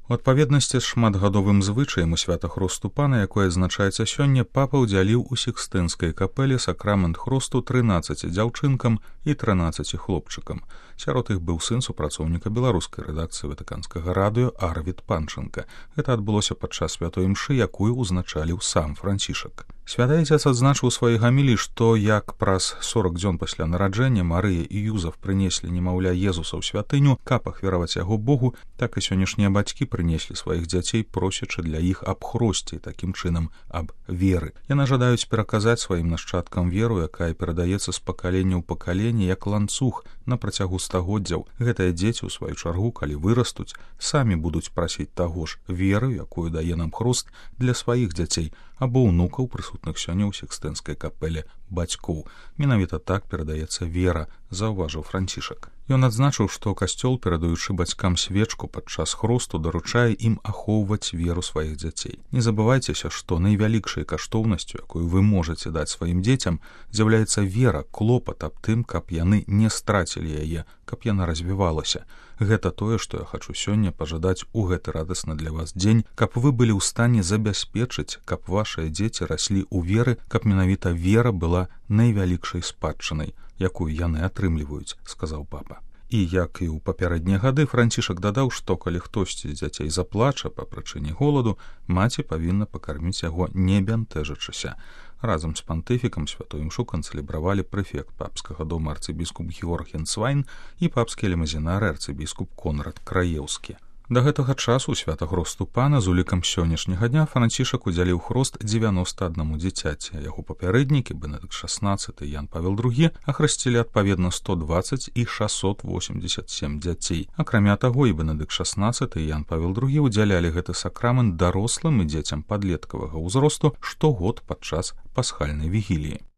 У адпаведнасці з шматгадовым звычаем у свята хросту пана, якое адзначаецца сёння, папа ўдзяліў у Сікстынскай капэле сакрамент хросту 13 дзяўчынкам і 13 хлопчыкам. Сярод іх быў сын супрацоўніка беларускай рэдакцыі ватыканскага радыё Арвід Панченка. Гэта адбылося падчас святой імшы, якую ўзначаліў сам Францішак. Святы Айцец адзначыў у сваёй гаміліі, што як праз 40 дзён пасля нараджэння Марыя і Юзаф прынеслі немаўля Езуса ў святыню, каб ахвяраваць яго Богу, так і сённяшнія бацькі прынеслі сваіх дзяцей, просячы для іх аб хросце, такім чынам аб веры. Яны жадаюць пераказаць сваім нашчадкам веру, якая перадаецца з пакалення ў пакаленне як ланцуг на працягу стагоддзяў. Гэтыя дзеці, у сваю чаргу, калі вырастуць, самі будуць прасіць таго ж веры, якую дае нам хрост, для сваіх дзяцей або ўнукаў, прысутных сёння ў Сікстынскай капэле бацькоў. Менавіта так перадаецца вера, заўважыў Францішак. Ён адзначыў, што касцёл, перадаючы бацькам свечку падчас хросту, даручае ім ахоўваць веру сваіх дзяцей. Не забывайцеся, што найвялікшай каштоўнасцю, якую вы можаце даць сваім дзецям, з'яўляецца вера, клопат аб тым, каб яны не страцілі яе, каб яна развівалася. Гэта тое, што я хачу сёння пажадаць у гэты радасны для вас дзень, каб вы былі ў стане забяспечыць, каб вашыя дзеці раслі ў веры, каб менавіта вера была найвялікшай спадчынай, якую яны атрымліваюць, сказаў папа. І, як і ў папярэднія гады, Францішак дадаў, што калі хтосьці з дзяцей заплача па прычыне голаду, маці павінна пакарміць яго, не бянтэжачыся. Разам з пантыфікам святой імшу канцэлябравалі прэфект папскага дома арцыбіскуп Георг Хенцвайн і папскі лімазінар арцыбіскуп Конрад Краеўскі. Да гэтага часу ў свята хросту пана з улікам сённяшняга дня Францішак удзяліў хрост 91 дзіцяці, а яго папярэднікі Бенедыкт XVI і Ян Павел II ахрысцілі адпаведна 120 і 687 дзяцей. Акрамя таго, і Бенедыкт XVI і Ян Павел II удзялялі гэты сакрамент дарослым і дзецям падлеткавага ўзросту штогод падчас пасхальнай вігіліі.